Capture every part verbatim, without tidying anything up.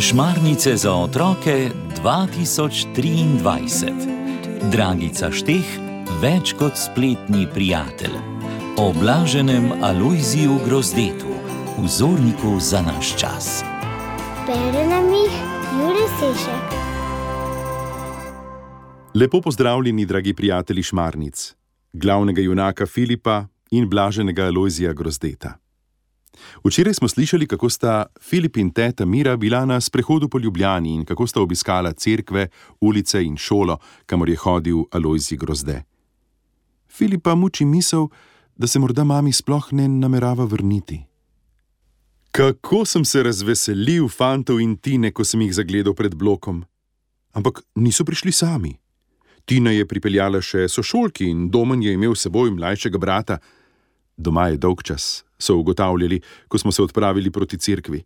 Šmarnice za otroke dva tisoč triindvajset. Dragica Šteh, več kot spletni prijatelj. O blaženem Alojziju Grozdetu, vzorniku za naš čas. Bere nam jih Jure Sešek. Lepo pozdravljeni, dragi prijatelji Šmarnic, glavnega junaka Filipa in blaženega Alojzija Grozdeta. Včeraj smo slišali, kako sta Filip in teta Mira bila na sprehodu po Ljubljani in kako sta obiskala cerkve, ulice in šolo, kamor je hodil Alojzij Grozde. Filipa muči misel, da se morda mami sploh ne namerava vrniti. Kako sem se razveselil fantov in Tine, ko sem jih zagledal pred blokom. Ampak niso prišli sami. Tina je pripeljala še sošolki in Domen je imel s seboj mlajšega brata. Doma je dolgčas, so ugotavljali, ko smo se odpravili proti cerkvi.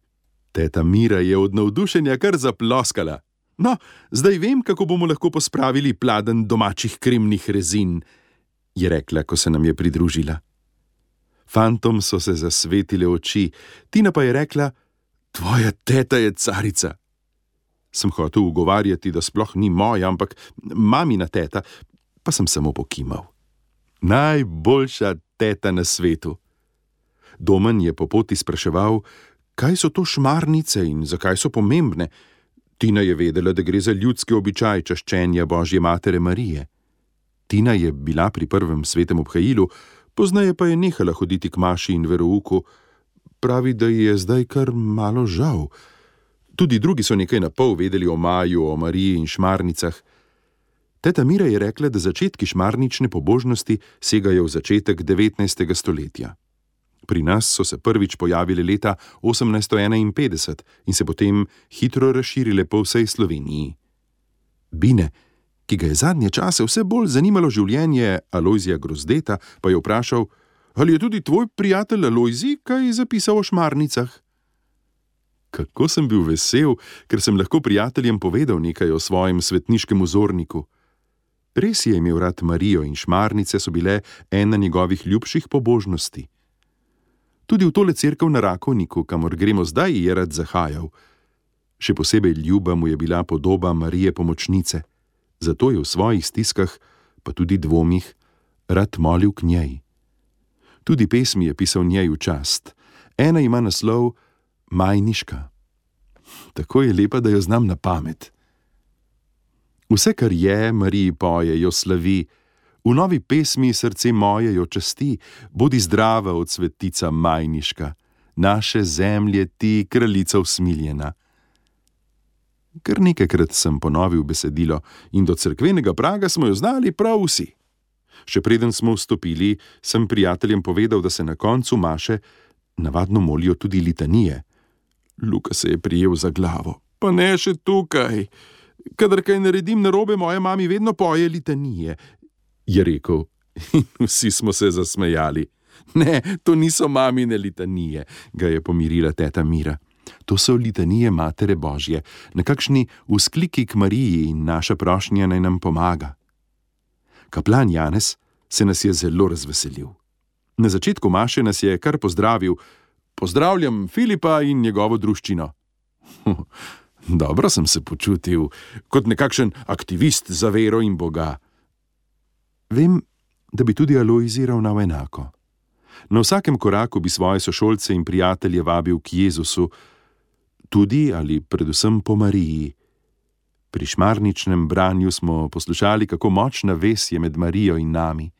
Teta Mira je od navdušenja kar zaploskala. No, zdaj vem, kako bomo lahko pospravili pladenj domačih kremnih rezin, je rekla, ko se nam je pridružila. Fantom so se zasvetile oči, Tina pa je rekla, tvoja teta je carica. Sem hotel ugovarjati, da sploh ni moja, ampak mamina teta, pa sem samo pokimal. Najboljša teta na svetu. Domen je po poti spraševal, kaj so to šmarnice in zakaj so pomembne. Tina je vedela, da gre za ljudski običaj čaščenja Božje matere Marije. Tina je bila pri prvem svetem obhajilu, poznaje pa je nehala hoditi k maši in verouku. Pravi, da ji je zdaj kar malo žal. Tudi drugi so nekaj napol vedeli o Maju, o Mariji in šmarnicah. Teta Mira je rekla, da začetki šmarnične pobožnosti segajo v začetek devetnajstega stoletja. Pri nas so se prvič pojavile leta osemnajststo enainpetdeset in se potem hitro razširile po vsej Sloveniji. Bine, ki ga je zadnje čase vse bolj zanimalo življenje Alojzija Grozdeta, pa je vprašal, ali je tudi tvoj prijatelj Alojzij kaj zapisal o šmarnicah? Kako sem bil vesel, ker sem lahko prijateljem povedal nekaj o svojem svetniškem vzorniku. Res je imel rad Marijo in šmarnice so bile ena njegovih ljubših pobožnosti. Tudi v tole cerkev na Rakovniku, kamor gremo zdaj, je rad zahajal. Še posebej ljuba mu je bila podoba Marije Pomočnice, zato je v svojih stiskah, pa tudi dvomih, rad molil k njej. Tudi pesmi je pisal njej v čast. Ena ima naslov Majniška. Tako je lepa, da jo znam na pamet. Vse, kar je, Mariji poje, jo slavi. V novi pesmi Srce moje jo časti, bodi zdrava od svetica Majniška, naše zemlje ti, kraljica usmiljena. Kar nekajkrat sem ponovil besedilo in do cerkvenega praga smo jo znali prav vsi. Še preden smo vstopili, sem prijateljem povedal, da se na koncu maše navadno molijo tudi litanije. Luka se je prijel za glavo. Pa ne še tukaj. Kadar kaj naredim narobe, moja mami vedno poje litanije, je rekel. In vsi smo se zasmejali. Ne, to niso mamine litanije, ga je pomirila teta Mira. To so litanije Matere Božje, nekakšni vzkliki k Mariji in naša prošnja naj nam pomaga. Kaplan Janez se nas je zelo razveselil. Na začetku maše nas je kar pozdravil. Pozdravljam Filipa in njegovo druščino. Dobro sem se počutil, kot nekakšen aktivist za vero in Boga. Vem, da bi tudi Alojzij ravnal enako. Na vsakem koraku bi svoje sošolce in prijatelje vabil k Jezusu, tudi ali predvsem po Mariji. Pri šmarničnem branju smo poslušali, kako močna vez je med Marijo in nami.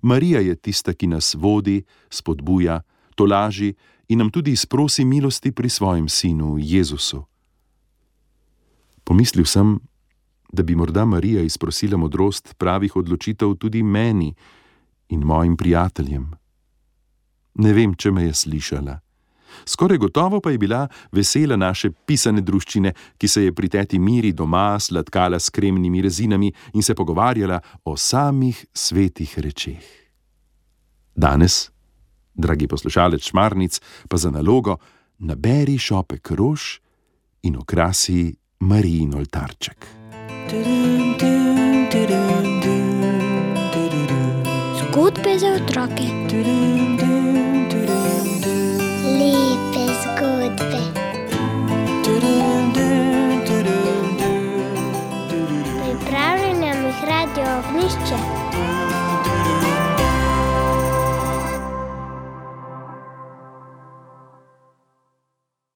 Marija je tista, ki nas vodi, spodbuja, tolaži in nam tudi izprosi milosti pri svojem sinu Jezusu. Pomislil sem, da bi morda Marija izprosila modrost pravih odločitev tudi meni in mojim prijateljem. Ne vem, če me je slišala. Skoraj gotovo pa je bila vesela naše pisane druščine, ki se je pri teti Miri doma sladkala s kremnimi rezinami in se pogovarjala o samih svetih rečeh. Danes, dragi poslušalec Šmarnic, pa za nalogo naberi šopek rož in okrasi Marijin oltarček. Zgodbe za otroke. Lepe zgodbe. ognjišče.